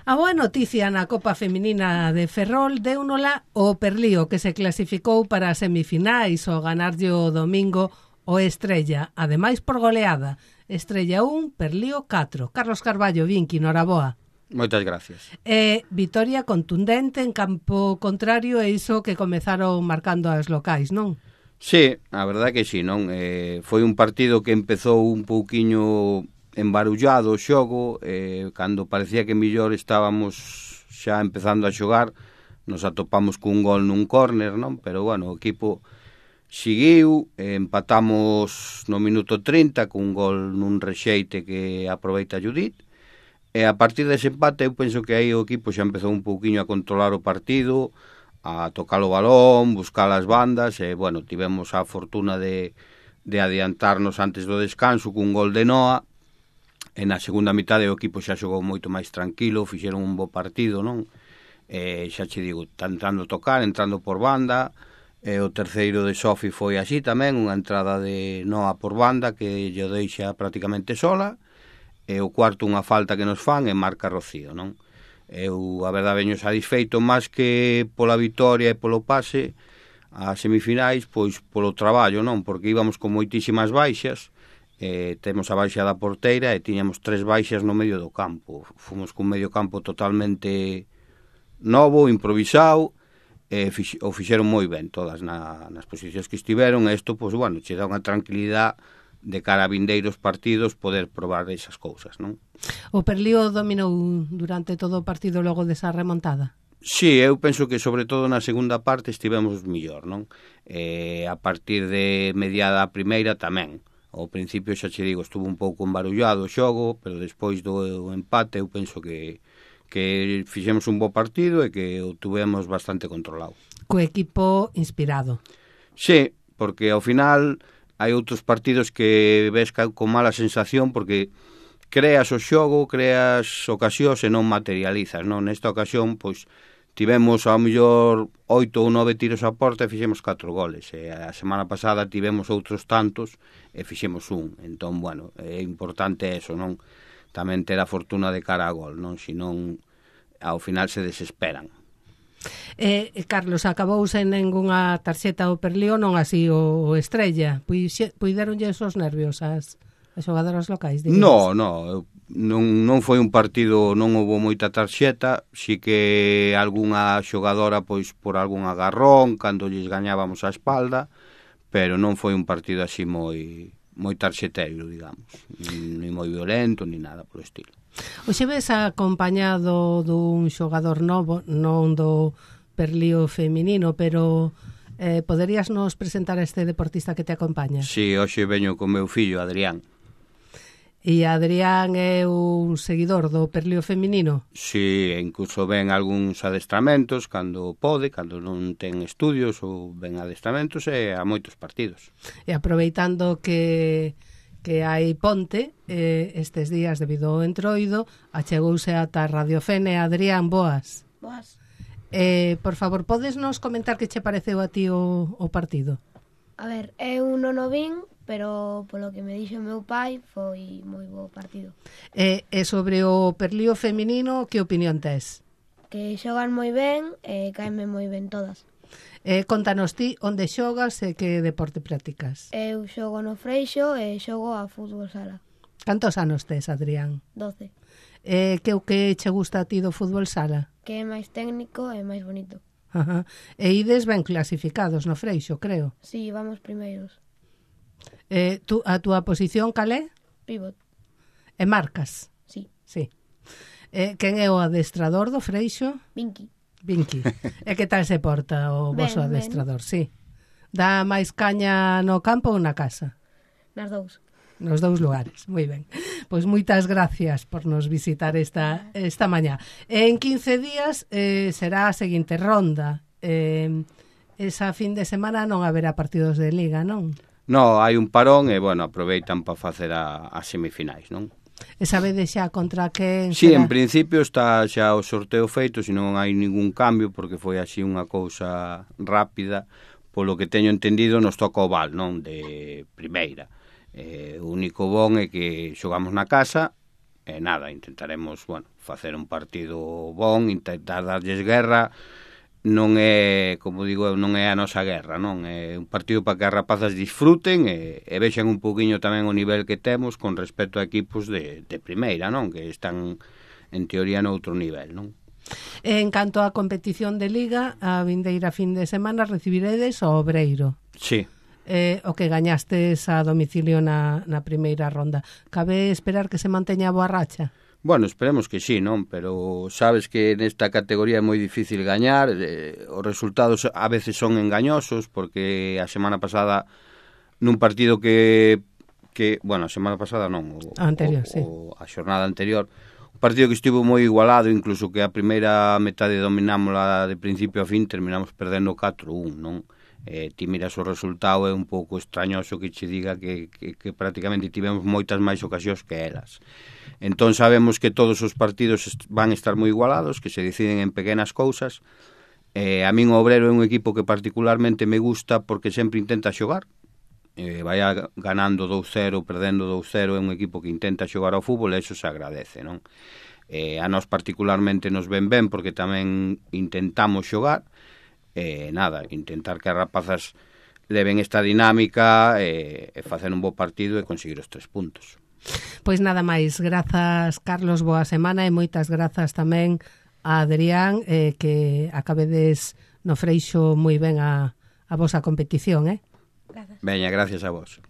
A boa noticia na Copa Feminina de Ferrol deunola o Perlío, que se clasificou para as semifinais ao ganarlle o domingo o Estrella, ademais por goleada. Estrella 1, Perlío 4. Carlos Carballo, Vinqui, noraboa. Moitas gracias. Vitoria contundente en campo contrario e iso que comezaron marcando as locais, non? Sí, a verdade que sí, non? Foi un partido que empezou un pouquiño embarullado o xogo, cando parecía que mellor estábamos xa empezando a xogar, nos atopamos cun gol nun córner, non? Pero, bueno, o equipo seguiu, empatamos no minuto 30 cun gol nun rexeite que aproveita Judith, e a partir dese empate eu penso que aí o equipo xa empezou un pouquiño a controlar o partido, a tocar o balón, buscar as bandas, e, bueno, tivemos a fortuna de adiantarnos antes do descanso cun gol de Noa, e na segunda mitade o equipo xa xogou moito máis tranquilo, fixeron un bo partido, non? Xa che digo, entrando a tocar, entrando por banda, e o terceiro de Sofi foi así tamén, unha entrada de Noa por banda que lle deixa prácticamente sola, e o cuarto unha falta que nos fan e marca Rocío, non? Eu, a verdade, veño satisfeito máis que pola vitoria e polo pase a semifinais, pois polo traballo, non? Porque íbamos con moitísimas baixas, temos a baixa da porteira e tiñamos 3 baixas no medio do campo. Fomos cun medio campo totalmente novo, improvisado, o fixeron moi ben todas nas posicións que estiveron, e isto, pois, bueno, che dá unha tranquilidade de cara a vindeiros partidos poder probar esas cousas, non? O Perlío dominou durante todo o partido logo desa remontada? Sí, eu penso que sobre todo na segunda parte estivemos mellor, non? A partir de mediada a primeira tamén. Ao principio, xa che digo, estuvo un pouco embarullado o xogo, pero despois do empate eu penso que fixemos un bo partido e que o tuvemos bastante controlado. Co equipo inspirado. Sí, porque ao final hai outros partidos que ves con mala sensación porque creas o xogo, creas ocasións e non materializas, non? Nesta ocasión, pois, tivemos ao mellor 8 ou 9 tiros a porta e fixemos 4 goles. E a semana pasada tivemos outros tantos e fixemos un. Entón, bueno, é importante eso, non? Tamén ter a fortuna de cara a gol, non? Senón, ao final se desesperan. Carlos, acabouse en ningunha tarxeta o Perlío, non así o Estrella. Puideronlle esos nervios as xogadoras locais? Non foi un partido, non houve moita tarxeta, si que algunha xogadora, pois, por algún agarrón, cando lles gañábamos a espalda, pero non foi un partido así moi tarxeteiro, digamos, ni moi violento, ni nada por estilo. Oxe ves acompañado dun xogador novo, non do Perlío feminino, pero poderías nos presentar a este deportista que te acompaña? Sí, hoxe veño con meu fillo, Adrián. E Adrián é un seguidor do Perlío feminino? Sí, incluso ven algúns adestramentos cando pode, cando non ten estudios, ou ven adestramentos e a moitos partidos. E aproveitando que hai ponte estes días debido ao entroido, achegouse ata Radio Fene. Adrián, boas. Boas. Por favor, podes nos comentar que che pareceu a ti o partido? A ver, eu non o vin, pero polo que me dixo meu pai foi moi bo partido. E sobre o Perlío feminino, que opinión tes? Que xogan moi ben e caenme moi ben todas. Contanos ti onde xogas e que deporte practicas. Eu xogo no Freixo e xogo a fútbol sala. Cantos anos tes, Adrián? 12. Que o que che gusta a ti do fútbol sala? Que é máis técnico e máis bonito. Ajá. E ides ben clasificados no Freixo, creo. Sí, vamos primeiros. A túa posición cal é? Pivot. E marcas? Sí. Quen é o adestrador do Freixo? Vinqui. E que tal se porta o vosso adestrador? Sí. Dá máis caña no campo ou na casa? Nas dous. Nos dous lugares, moi ben. Pois moitas gracias por nos visitar esta mañá. En 15 días será a seguinte ronda. Esa fin de semana non haberá partidos de Liga, non? Non, hai un parón e, bueno, aproveitan para facer as semifinais, non? E sabedes xa contra quen Sí, será? En principio está xa o sorteo feito, se non hai ningún cambio, porque foi así unha cousa rápida. Polo que teño entendido, nos toca o Val, non? De primeira. O único bon é que xogamos na casa, E nada, intentaremos, bueno, facer un partido bon, intentar darlles guerra. Non é, como digo, non é a nosa guerra, non? É un partido para que as rapazas disfruten e vexan un pouquiño tamén o nivel que temos con respecto a equipos de primeira, non? Que están, en teoría, noutro nivel, non? En canto á competición de Liga, a vindeira fin de semana recibiredes o Obreiro. Sí. O que gañastes a domicilio na primeira ronda. Cabe esperar que se manteña a boa racha? Bueno, esperemos que sí, non? Pero sabes que nesta categoría é moi difícil gañar, os resultados a veces son engañosos, porque a semana pasada nun partido que bueno, a semana pasada non, a xornada anterior, un partido que estivo moi igualado, incluso que a primeira metade dominámola de principio a fin, terminamos perdendo 4-1, non? Ti miras o resultado, é un pouco extrañoso que che diga que prácticamente tivemos moitas máis ocasións que elas. Entón sabemos que todos os partidos van a estar moi igualados, que se deciden en pequenas cousas. A min o Obrero é un equipo que particularmente me gusta porque sempre intenta xogar. Vai ganando 2-0, perdendo 2-0, é un equipo que intenta xogar ao fútbol e iso se agradece, non? A nós particularmente nos ven ben porque tamén intentamos xogar. Nada, intentar que as rapazas leven esta dinámica e facer un bo partido e conseguir os 3 puntos. Pois nada máis, grazas Carlos, boa semana e moitas grazas tamén a Adrián, que acabedes no Freixo moi ben a vosa competición, Grazas. Veña, gracias a vos.